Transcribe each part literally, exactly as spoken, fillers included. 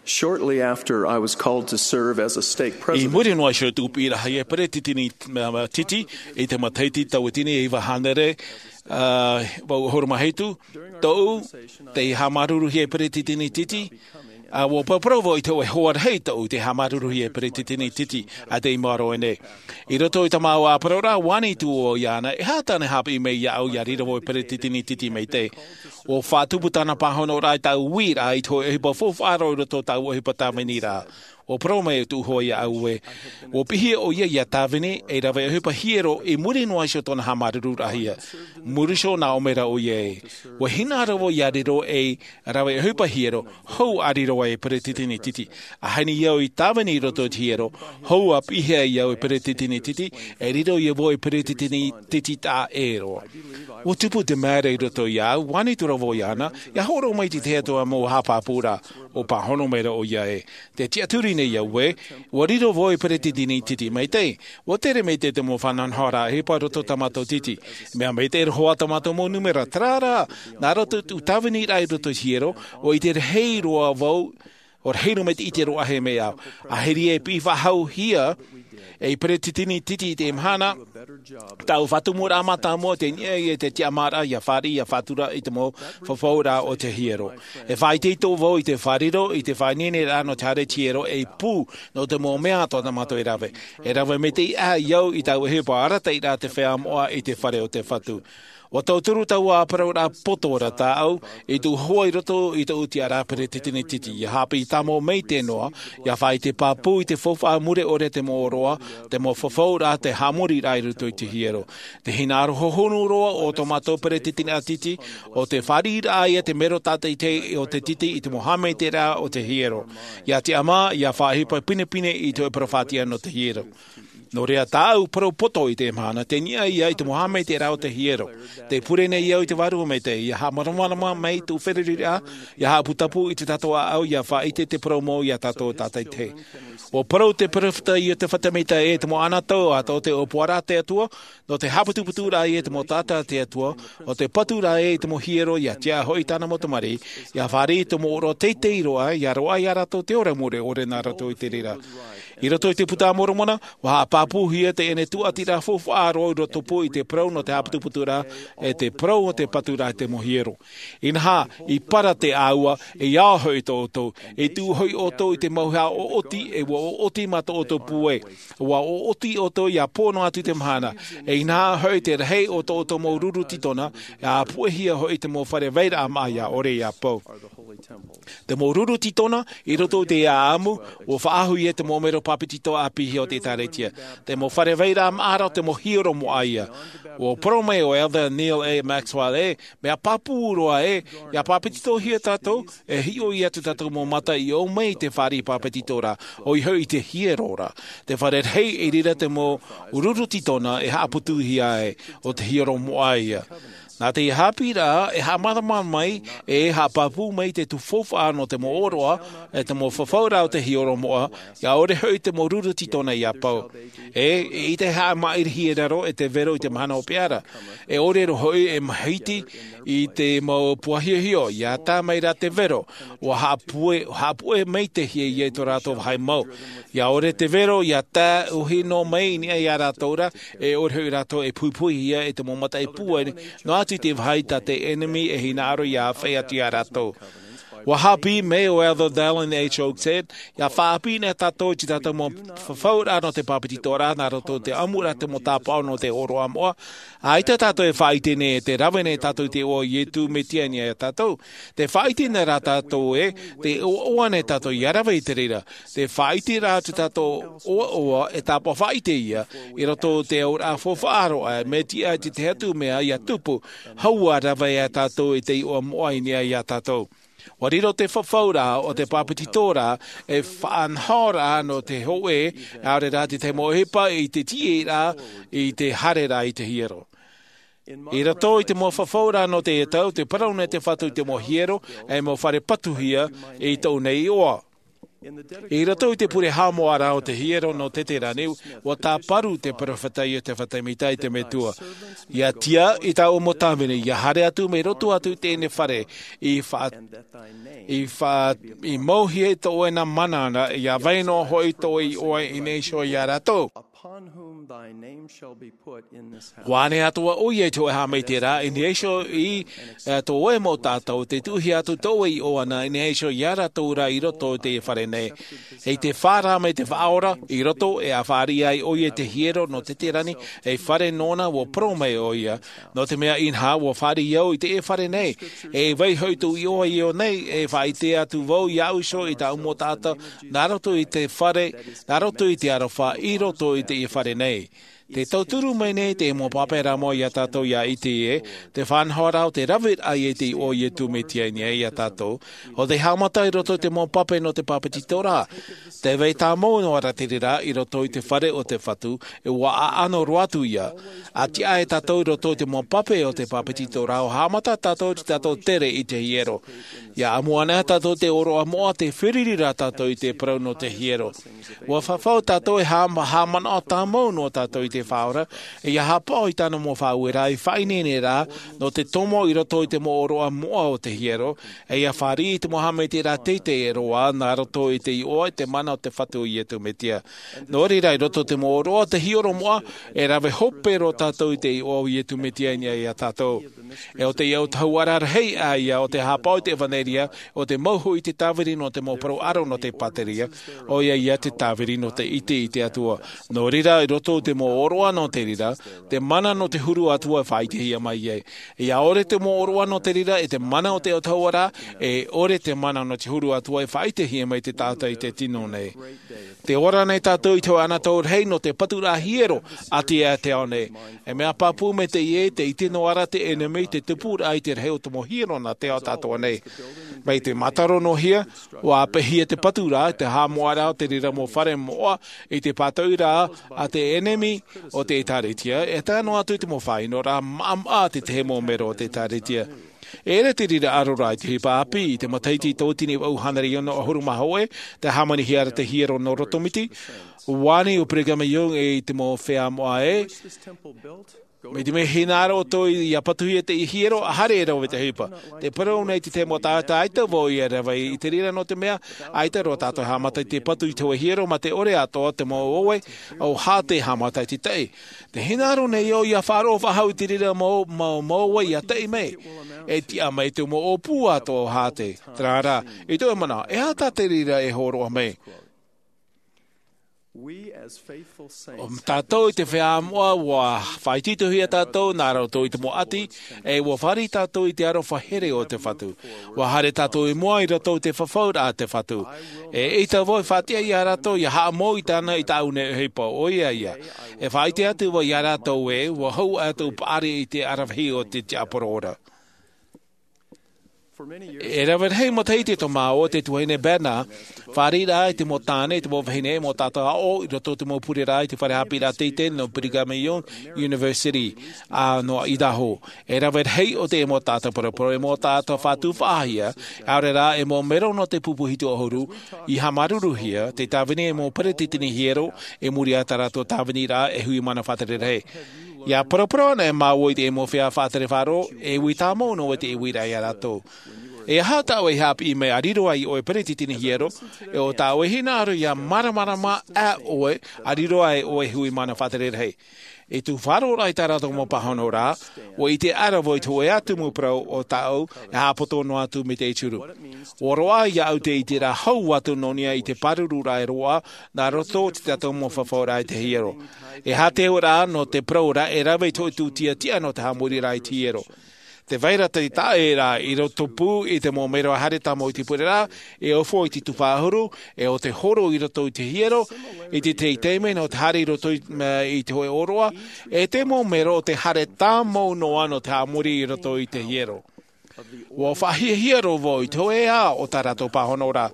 Shortly after I was called to serve as a stake president. I muri noa iho i tōʻu piʻiraʻa e peretiteni titi, i te matahiti tauatini e iva hānere, ʻahuru mā hitu, tōʻu, tei haʻamāuruuruhia e peretiteni titi, ʻua parau vau i te hōʻē hoa rahi tōʻu tei haʻamāuruuruhia e peretiteni titi, ʻa tei ʻite nei. I roto i tā māua parau ra, ʻua ani atu vau iāna, e aha tāna e haʻapiʻi mai iāʻu, ʻia riro vau ei peretiteni titi maitaʻi. ʻUa faʻatupu tāna pāhonoraʻa i tāʻu uiraʻa i te hōʻē ʻohipa faufaʻa roa i roto i tāʻu ʻohipa tāviniraʻa. ʻUa parau mai tōʻu hoa iāʻu ē, ʻua piʻihia ʻoia ʻia tāvini ei rave ʻohipa hiero i muri noa iho i tōna haʻamāuruururahia. Muri iho nā ʻō mai ra ʻoia ē, ʻua hinaʻaro vau ʻia riro ei rave ʻohipa hiero, hou ʻa riro ai e peretiteni titi. ʻAhani au i tāvini i roto i te hiero, hou ʻa piʻihia iāʻu e peretiteni titi, e riro ia vau ei peretiteni titi taʻa ʻē roa. ʻUa tupu te mea ra i roto iāʻu, ʻua ani atu ra vau iāna, ʻia hōroʻa mai i te Atua mau haʻapāpūraʻa, ʻua pāhono mai ra ʻoia ē, tē tiʻaturi nei au ē, ʻua riro vau ei peretiteni titi maitaʻi. ʻUa tere maitaʻi te mau faʻanahonahoraʻa ʻohipa i roto i tā mātou titi. Mea maitaʻi roa tā mātou mau nūmera, terā rā, nā roto i tōʻu tāviniraʻa i roto i te hiero, ʻua ʻite rahi roa vau, ʻua rahi roa mai te ʻite roa ʻāhei mai au. ʻAhiri e piʻi faʻahouhia ei peretiteni titi i te mahana, tāʻu faʻatumuraʻa mātāmua tei niʻa i te tiʻamāraʻa ʻia fāriʻi, ʻia faʻatura i te mau fafauraʻa o te hiero. E faʻaʻiteʻite vau i te faʻariro, i te faʻaineineraʻa nō te haere i te hiero, ei pū nō te mau mea atoʻa tā mātou e rave. E rave maitaʻi aʻe au i tāʻu ʻohipa arataʻiraʻa te feiā moʻa i te fare o te Fatu. ʻUa tauturu taua parau ra poto ra tāʻu, i tōʻu hoa i roto i tōʻu tiʻaraʻa peretiteni titi, ʻia haʻapiʻi tāmau maitaʻi noa, ʻia faʻaʻite pāpū i te faufaʻa mure ʻore te mau ʻōroʻa, te mau fafauraʻa, te haʻamoriraʻa i roto i te hiero. Te hinaʻaro hohonu roa o tō mātou peretiteni titi, ʻo te fāriʻiraʻa ia te mero tātaʻitahi o te titi i te mau haʻamaitaʻiraʻa o te hiero. ʻIa tiʻamā, ʻia faʻaʻohipa pinepine i te hōʻē parau faʻatiʻa nō te hiero. Nō reira tāʻu parau poto i te mahana, tei niʻa ia i te mau haʻamaitaʻiraʻa o te hiero. Tē pure nei au i te Vārua Maitaʻi, ʻia haʻamāramarama mai tōʻu feruriraʻa, ʻia haʻaputapū i tō tātou ʻāʻau, ʻia faʻaʻite te parau mau ia tātou tātaʻitahi. ʻUa parau te peropheta Iosepha Semita ē, te mau ʻānātau atoʻa o te ʻōpuaraʻa a te Atua, nō te haʻaputuputuraʻa ia i te mau taʻata a te Atua, ʻo te patu rā ē i te mau hiero, ʻia tiʻa hoʻi tāna mau tamariʻi, ʻia fāriʻi i te mau ʻōroʻa teitei roa, ʻia roaʻa ia rātou te ora mure ʻore nā roto i te reira. I roto i te Buka a Moromona, ʻua haʻapāpūhia teie tuʻatiraʻa faufaʻa roa i rotopū i te parau nō te haʻaputuputuraʻa, e te parau o te patu rā i te mau hiero. Inaha, i parau te ʻāua, e ʻia hoʻi tō ʻoutou, e tuʻu hoʻi ʻoutou i te mau hea ʻoʻoti, e ʻua ʻoʻoti mā tō ʻoutou pūai. ʻUa ʻoʻoti ʻoutou ʻia pō noa atu te mahana, e inaha hoʻi te rahi o tō ʻoutou mau ruru tītona, e ʻāpuʻehia hoʻi te mau fare vairaʻa māʻa ʻia ʻore ʻia pau. Te mau ruru tītona, i roto i te ʻāʻamu, ʻua faʻahoʻihia te mau mero pāpetito ʻāpīhia o te ʻĒkālesia. Te mau fare vairaʻa māʻa ra, te mau hiero moʻa ia. ʻUa parau mai ʻo Elder Neal A. Maxwell ē, mea pāpū roa ē, ʻia pāpetitohia tātou, e hiʻo atu tātou mau mata i ʻō mai i te fāriʻi pāpetito ra, ʻoia hoʻi i te hiero ra. Te fare rahi i reira te mau ruru tītona e haʻaputuhia ai, ʻo te hiero moʻa ia. Nā te haʻapiʻiraʻa, e haʻamāramarama mai, e haʻapāpū mai te tuʻu faufaʻa nō te mau ʻōroʻa, e te mau fafauraʻa o te hiero moʻa, ʻia ʻore hoʻi te mau ruru tītona ʻia pau. E, e ʻite haʻamaʻirihia raro e te vero i te mahana hopeʻa ra. E ʻore roa hoʻi e mahiti i te mau puahiahio, ʻia tā mai rā te vero, ʻua haʻapuʻe, haʻapuʻe maitaʻihia ia i tō rātou vāhi mau. ʻIa ʻore te vero, ʻia tae ʻōhino mai i niʻa ia rātou ra, e ʻore hoʻi rātou e puhipuhihia e te mau mataʻi pūai, noa atu i te vāhi tā te ʻenemi e hinaʻaro ʻia āfaʻi atu ia rātou. ʻUa haʻapiʻi mai ʻo Elder Dallin H. Oaks ē, ʻia faʻaʻāpī nei tātou i tā tātou mau fafauraʻa nō te pāpetitoraʻa, nā roto i te ʻamuraʻa te mau tāpaʻo nō te ʻōroʻa moʻa. ʻAita tātou e faʻaʻite nei, e tē rave nei tātou i te iʻoa o Iesu Mesia i niʻa ia tātou. Tē faʻaʻite nei rā tātou ē, tē ʻoaʻoa nei tātou ʻia rave i te reira. Tē faʻaʻite rā tātou ʻoaʻoa e tāpaʻo faʻaʻite ia, i roto i te auraʻa faufaʻa roa, e mea tiʻa i te tahi atu mea ʻia tupu, hou ʻa rave ia tātou i te iʻoa moʻa i niʻa ia tātou. ʻUa riro te fafauraʻa o te pāpetitoraʻa, e faʻanahoraʻa nō te hōʻē, ʻaore rā te tahi mau ʻohipa i te tiʻaraʻa, i te haereraʻa i te hiero. I roto i te mau fafauraʻa nō teie tau, tē parau nei te Fatu i te mau hiero, e mau fare patuhia i tōʻu nei iʻoa. I roto i te pure haʻamoʻaraʻa o te hiero nō teterani, ua tāparu te peropheta iosepha semita i te metua, ia tiʻa i tāʻu mau tāvini ia haere atu mai roto atu i teie fare, i faʻa i faʻa i mauhia i tō ʻoe nā mana ana ia vai noa hoʻi tō ʻoe iʻoa i nei iho iā rātou. Ua ʻane atu ʻoia i te hoʻe haʻamaitaʻiraʻa i nei iho i tō ʻoe mau taʻata, te tuʻuhia atu tō ʻoe iʻoa i nei iho iā rātou rā i roto i teie fare nei. I te faʻaora mai te faʻaora i roto e a fāriʻi ai ʻoia i te hiero nō teterani, ei fare nōna ua parau mai ʻoia, nō te mea inaha ua fāriʻi au i teie fare nei, e vai hoʻi tō iʻoa i ʻō nei e faʻaʻite atu vau iāʻu iho i tāʻu mau taʻata nā roto i te fare, nā roto i te aroha i roto i teie fare nei. Te tauturu mai nei te mau pape rā mau iā tātou ia ʻite ē, te faʻanahoraʻa o te raveraʻa i te iʻoa o iesu mesia i nei iā tātou, o te haʻamata i roto i te mau pape nō te bāpetizoraʻa. Te vai tāmau noa rā te reira i roto i te fare o te fatu, e ua ʻaʻano roa atu ia. A tiʻa e tātou i roto i te mau pape o te bāpetizoraʻa ua haʻamata tātou i te tātou tere i te hiero. Ia ʻamu ana tātou te ʻōroʻa moʻa te fāriʻi rā tātou i te parau nō te hiero. Ua fafau tātou e haʻamanaʻo tāmau noa tātou i te faʻaora, e ia haʻapaʻo i tāna mau faʻaueraʻa i faʻaineine rā nō te tomo i roto i te mau ʻōroʻa moʻa o te hiero, e ia fāriʻi i te mau haʻamaitaʻiraʻa teitei e roa nā roto i te iʻoa i te mana o te fatu o iesu mesia. Nō reira i roto i te mau ʻōroʻa o te hiero moʻa, e rave hope roa tātou i te iʻoa o iesu mesia i nei iā tātou. E o te iʻoa tahuʻa rahi ā ia o te haʻapaʻo i te evanelia, o te mau hoʻi i te tāviri nō te mau parau ʻaro nō te pāteria, ʻoia ia te tāviri nō te ʻite i te atua. Nō reira i roto i te mau ʻōroʻa nō te reira, te mana nō te huru atua e faʻaʻitehia mai ai. Ia ʻore te mau ʻōroʻa nō te reira e te mana o te iʻoa tahuʻa rā, e ʻore te mana nō te huru atua e faʻaʻitehia mai te taʻata i te tino nei. Te ora nei tātou i te hoʻe anotau rahi nō te paturaʻa hiero a te ao nei. E mea pāpū mai teie, te ʻite noa rā te ʻenemi te tupuraʻa i te rahi o te mau hiero nā te ao atoʻa nei. Mai te mātaro noa hia, ua ʻāpeʻehia te paturaʻa te haʻamoʻaraʻa o te reira mau fare moʻa i te pātoʻiraʻa a te ʻenemi o te ʻēkālesia, e tae noa atu i te mau faʻaʻinoraʻa maʻamaʻa a te tahi mau mero o te ʻēkālesia. E ʻere te reira ʻaroraʻa i te ʻohipa ʻāpī i te matahiti tauatini vaʻu hānere ono ʻahuru mā hōʻē, te hāmanihia ra te hiero nō roto miti. Ua ani ʻo Brigham Young i te mau feiā moʻa ē, mai te mea hinaʻaro ʻoutou ia patuhia te hiero, ʻaita e rave te ʻohipa. Te parau nei te tahi mau taʻata ʻaita vau ia rave i te reira nō te mea ʻaita roa tātou e haʻamata i te patu i te hoʻe hiero mā te ʻore atoʻa te mau ʻoe, ʻo hāte haʻamata i te taʻi. Te hinaʻaro nei ʻoia faʻaroʻo faʻahou i te reira mau, mau, mau ʻoe ia taʻi mai. E tiʻa mai te mau ʻōpū atoʻa o hāte. Terā rā, i tō ʻoe manaʻo, e aha tā te reira e hōroʻa mai? ʻO tātou i te feiā moʻa ua faʻaitoitohia tātou nā roto i te mau ʻati, e ua fāriʻi tātou i te aroha here o te fatu. Ua haere tātou i mua i roto i te fafauraʻa a te fatu. E ʻaita vau e faʻatiʻa iā rātou ia haʻamou i tāna i tāʻu nei ʻohipa, ʻoia ia. E faʻaʻite atu vau iā rātou ē, ua hou atu paʻari i te aravihi o te tiaporo ora. E rave rahi matahiti tō māua te tuahine Bednar, fāriʻi rā i te mau tāne, i te mau vahine, mau taʻata aʻo, i roto i te mau pure rā, i te fare haʻapiʻiraʻa teitei nō Brigham Young University, ā, nō Idaho. E rave rahi o te mau taʻata parapara, e mau taʻata fatu faʻahia, ʻaore rā, e mau mero nō te pupu hitu ʻahuru, i haʻamāuruuruhia, te tāvini e mau peretiteni hiero, i muri i tā rātou tāviniraʻa e hui mana faʻatere rahi. Ia parapara ana e māua i te mau feiā faʻatere faʻaroʻo, e ui tāmau noa te uiraʻa iā rātou. E aha tā ʻoe i haʻapiʻi mai a riro ai ʻoe peretiteni hiero, e ʻo tā ʻoe hinaʻaro ia māramarama ā ʻoe a riro ai ʻoe hui mana faʻatere rahi. I tū faʻaroʻo rā i tā rātou mau pāhono rā, ua ʻite ʻara vau i te hōʻē ā tumu parau o tāʻu, e haʻapoto noa atu mai te ʻituru. Ua roaʻa iāʻu te ʻiteraʻa hau atu nō niʻa i te pāruru rā e roaʻa, nā roto i tā tātou mau fafauraʻa i te hiero. E aha te auraʻa nō te parau ra e rave i te hōʻē tūtia tiʻa nō te haʻamoriraʻa i te hiero. Te vai ra te taʻeraʻa i roto pū i te mau mero haere tāmau i te pure ra, e ʻōfo i te tufa ʻahuru, e ʻo te horo i roto i te hiero, i te teitei mai nō te haere i roto i, i te hōʻē ʻōroʻa, e te mau mero o te haere tāmau noa nō te haʻamori i roto i te hiero. Ua faʻahiahia roa vau i te hōʻē ā o tā rātou pāhono ra.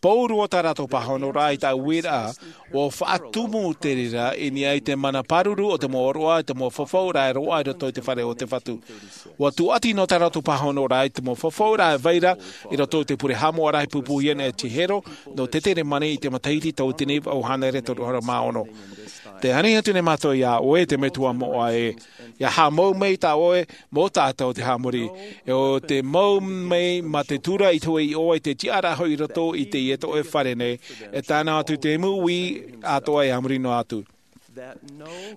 Pōuri o tā rātou pāhonoraʻa i taʻu uiraʻa, ua faʻatumu te reira i niʻa i te mana pāruru o te mau ʻōroʻa i te mau fafauraʻa e roaʻa i roto i te fare o te Fatu. Ua tūʻati nō tā rātou pāhonoraʻa i te mau fafauraʻa e vai ra i roto i te pure haʻamoʻaraʻa i pūpūhia nei e Hiero nō Tetenemani i te matahiti tauatini vaʻu hānere toru ʻahuru mā ono. Tē ani atu nei mātou iā ʻoe te metua moʻa ē, ia haʻamau mai tā ʻoe mau taʻata o te haʻamori, e ʻo te mau mai mā te tura i te hōʻē iʻoa i te tiʻaraʻa hoʻi i roto i teie tōʻoe fare nei, e tae noa atu te mau ui atoʻa e a muri noa atu.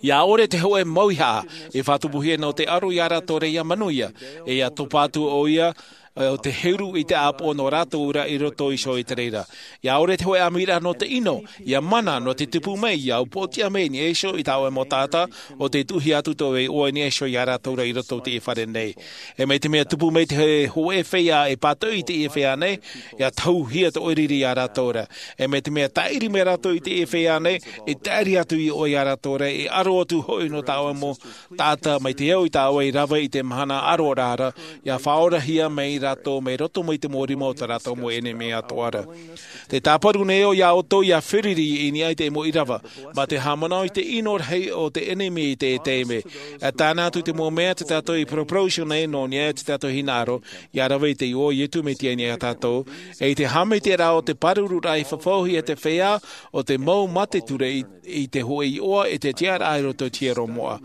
Ia ʻore te hōʻē mauihaʻa i faʻatupuhia nō te aro iā rātou ra ia manuia, e ia topa atu ʻoia o te heru i te ʻāpoʻo nō rātou ra i roto iho i te reira. Ia ʻore te hōʻē ʻāmuiraʻa nō te ʻino, ia mana nō te tupu mai, ia upoʻotiʻa mai i niʻa iho i tā ʻoe mau taʻata, ʻo tē tuʻuhia atu tō ʻoe iʻoa i niʻa iho iā rātou ra i roto i teie fare nei. E mai te mea tupu mai te hōʻē feiā e pātoʻi i teie feiā nei, ia tahuhia tō riri iā rātou ra. E mai te mea tāʻiri mai rātou i teie feiā nei, e tāʻiri atu iʻoa iā rātou ra, e aro atu hoʻi nō tā ʻoe mau taʻata mai te au i tā ʻoe i rave i te mahana ʻaroraʻa ra, ia faʻaorahia mai rātou mai roto mai te mau rima o tā rātou mau ʻenemi atoʻa ra. Te tāparu nei au iā ʻoutou ia feruri i niʻa i te mau ʻīrava, mā te haʻamanaʻo i te ʻino rahi o te ʻenemi i te taime. E tāna atu te mau mea tā tātou i paraparau iho nei nō niʻa i tā tātou hinaʻaro, ia rave i te iʻoa o Iesu Mesia i niʻa iā tātou, e i te haʻamaitaʻiraʻa o te pārururaʻa i fafauhia e te feiā, ʻo te mau mā te ture i, i te hōʻē iʻoa e te tiʻaraʻa i roto i te hiero moʻa.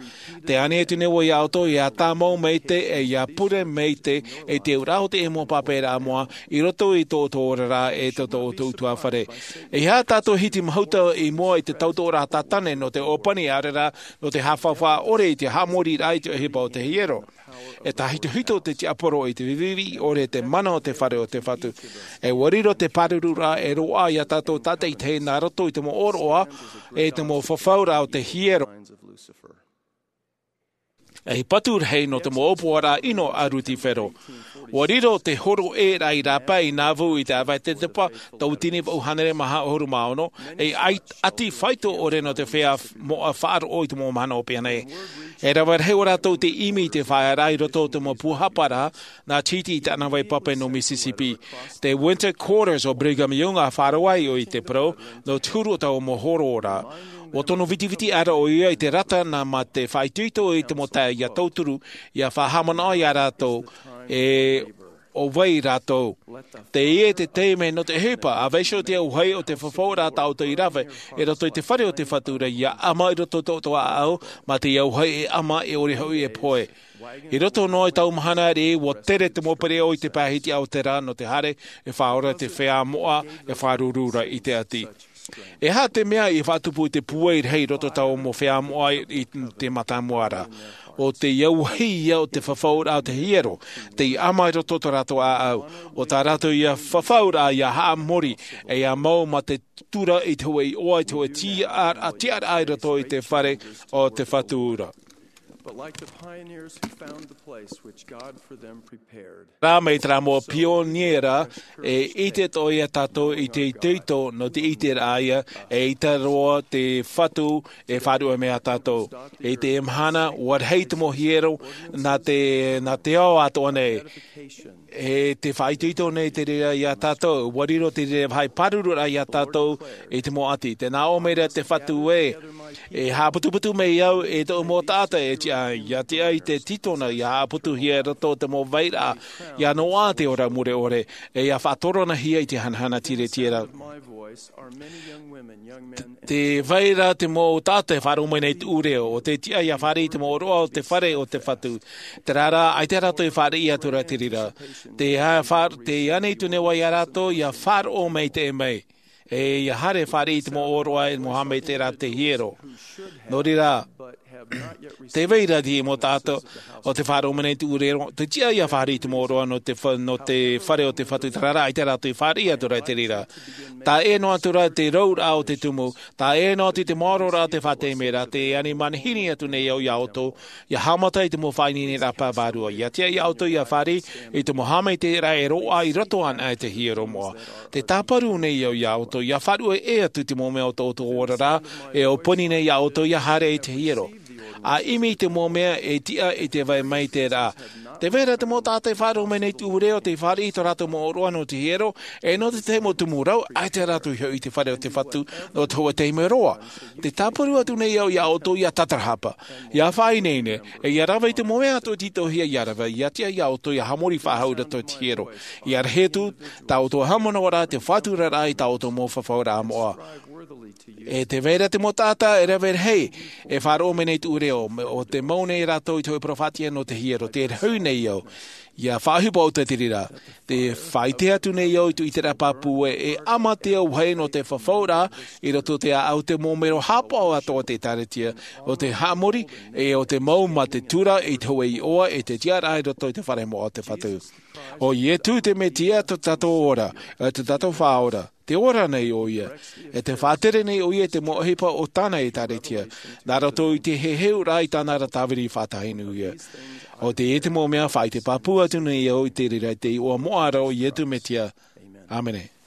Tē ani atu nei au iā ʻoutou ia tāmau maite, e ia pure maite i te auraʻa o te mau pāpaʻiraʻa moʻa i roto i tō ʻoutou oraraʻa e tō, tō ʻoutou ʻutuāfare. E aha tātou hiti mahuta i mua i te tautoʻoraʻa tātane nō te ʻōpani ʻaore rā nō te haʻafaufaʻa ʻore i te haʻamoriraʻa i te ʻohipa o te hiero. E tāhitohito te tiaporo i te viviʻi ʻore te mana o te fare o te Fatu. E ʻua riro te pārururaʻa e roaʻa iā tātou tātaʻitahi nā roto i te mau ʻōroʻa, e te mau fafauraʻa o te hiero. E patu rahi nō te mau ʻōpuaraʻa ʻino a Lusifero. ʻUa riro te horoʻaraʻa i rāpae i Nauvoo i te ʻāvaʻe tetepa, tauatini vaʻu hānere maha ʻahuru mā ono, e ai, ʻati faito ʻore nō te feiā moʻa faʻaroʻo i te mau mahana ʻōpani. E rave rahi ʻo rātou te ʻimi i te faʻaearaʻa i roto o te mau puhaparaʻa, nā Chitty i tāna vai pape nō Mississippi. Te Winter Quarters o Brigham Young a faʻaroʻo ai ʻoia i te parau, nō te huru o taua mau horoʻaraʻa. ʻUa tono vitiviti ʻara ʻoia i te rata nā mā te faʻaitoito i te mau taeaʻe ia tauturu, ia faʻahaʻamanaʻo iā rātou, e ʻo vai rātou. Teie te taime nō te ʻohipa, ʻa vaiiho te auahi o te fafauraʻa tā ʻoutou i rave, i roto i te fare o te Fatu ra ia ʻama i roto tō ʻoutou ʻāʻau, mā te auahi e ʻama e ʻore hoʻi e pohe. I roto noa i taua mahana ra, ʻua tere te mau pereʻoʻo i te pae hitiʻa o te rā nō te haere, e faʻaora te feiā moʻa, e faʻaruru ra i te ʻati. E aha te mea i faʻatupu i te pūai rahi i roto taua mau feiā moʻa i te mātāmua ra? ʻO te auahi ia o te fafauraʻa o te hiero, tei ʻama i roto tō rātou ʻāʻau. ʻO tā rātou ia fafauraʻa ia haʻamori, e ia mau mā te tura i te hōʻē iʻoa, i te hōʻē tiʻa-, tiʻaraʻa i roto i te fare o te Fatu ra. But like the pioneers who found the place which God for them prepared. Rā mai terā mau pioniera, e ʻite atoʻa ia tātou i te itoito nō te ʻiteraʻa ia, e ʻaita roa te Fatu e faʻaruʻe mai iā tātou. I te mahana, ʻua rahi te mau hiero, nā te, nā te ao atoʻa nei. E te faʻaitoito nei te reira iā tātou, ʻua riro te reira vāhi pārururaʻa iā tātou i te mau ʻati. Tē nā ʻō mai ra te Fatu ē, e haʻaputuputu mai au e tōʻu mau taʻata e tiʻa, ia tiʻa i te tītona, ia haʻaputuhia i roto o te mau vairaʻa, ia noaʻa te ora mure ʻore, e ia faʻatoronahia i te hanahana tiretiera. Te vai ra te mau taʻata e faʻaroʻo mai nei tōʻu reo, ʻo tē tiʻa ia fāriʻi i te mau ʻōroʻa o te fare o te Fatu. Terā rā, ʻaita rātou i fāriʻi atu ra te reira. Te ha-, fa-, tē ani atu nei au iā rātou, ia faʻaroʻo maitaʻi mai. E ia haere fāriʻi i te mau ʻōroʻa e mau haʻamaitaʻiraʻa te hiero. Nō reira, tē vai ra te mau taʻata, ʻo tē faʻaroʻo mai nei tōʻu reo, tē tiʻa ia fāriʻi i te mau ʻōroʻa nō te fa-, nō te fare o te Fatu, terā rā, ʻaita rātou i fāriʻi atu ra te reira. Tae noa atu ra te rouraʻa o te tumu, tae noa atu te maororaʻa o te faʻatere ra, tē ani manihini atu nei au iā ʻoutou, ia haʻamata i te mau faʻaineineraʻa pae vārua. Ia tiʻa iā ʻoutou ia fāriʻi i te mau haʻamaitaʻiraʻa e roaʻa i roto anaʻe i te hiero moʻa. Tē tāparu nei au iā ʻoutou, ia faʻaruʻe atu te mau mea o tō ʻoutou oraraʻa, e ʻōpani nei iā ʻoutou ia haere i te hiero. A ʻimi i te mau mea e tiʻa i te vai mai te rā. Te vai ra te mau taʻata e faʻaroʻo mai nei te ʻūreo, te fāriʻi i tō rātou mau ʻōroʻa nō te hiero, e nō te tahi mau tumu rau, ʻaita rātou i hoʻi i te fare o te Fatu, nō te hōʻē taime roa. Te tāparu atu nei au iā ʻoutou ʻia tātarahapa, ʻia faʻaineine, e ʻia rave i te mau mea atoʻa i tītauhia ʻia rave, ʻia tiʻa iā ʻoutou ʻia haʻamori faʻahou i roto i te hiero. ʻIa rahi atu, tā ʻoutou haʻamanaʻo ra te faʻaturaraʻa i tā ʻoutou mau fafauraʻa moʻa. E te vai ra te mau taʻata e rave rahi, e faʻaroʻo mai nei te ʻūreo, ʻo tē mau nei rātou i te hōʻē parau faʻatiʻa nō te hiero, tē rahi nei au. ʻIa faʻaʻohipa ʻoutou i te reira. Tē faʻaʻite atu nei au i tō ʻĪteraʻera pāpū ē, e ʻāmate au hoʻi nō te fafauraʻa, i roto i te ʻāʻau te mau mero haʻapaʻo atoʻa o te ʻĒkālesia, ʻo te haʻamori, e ʻo te mau mā te tura i te hōʻē iʻoa, e te tiʻaraʻa i roto i te fare moʻa o te Fatu. ʻO Iesu te Mesia tō tātou ora, e tō tātou Faʻaora. Tē ora nei ʻoia. E tē faʻatere nei ʻoia i te mau ʻohipa o tāna ʻĒkālesia, nā roto i te heheuraʻa i tāna ra tāviri faʻatahinuhia. ʻO teie te mau mea faʻaʻite pāpū atu nei au i te reira i te iʻoa moʻa ra o Iesu Mesia. ʻĀmene.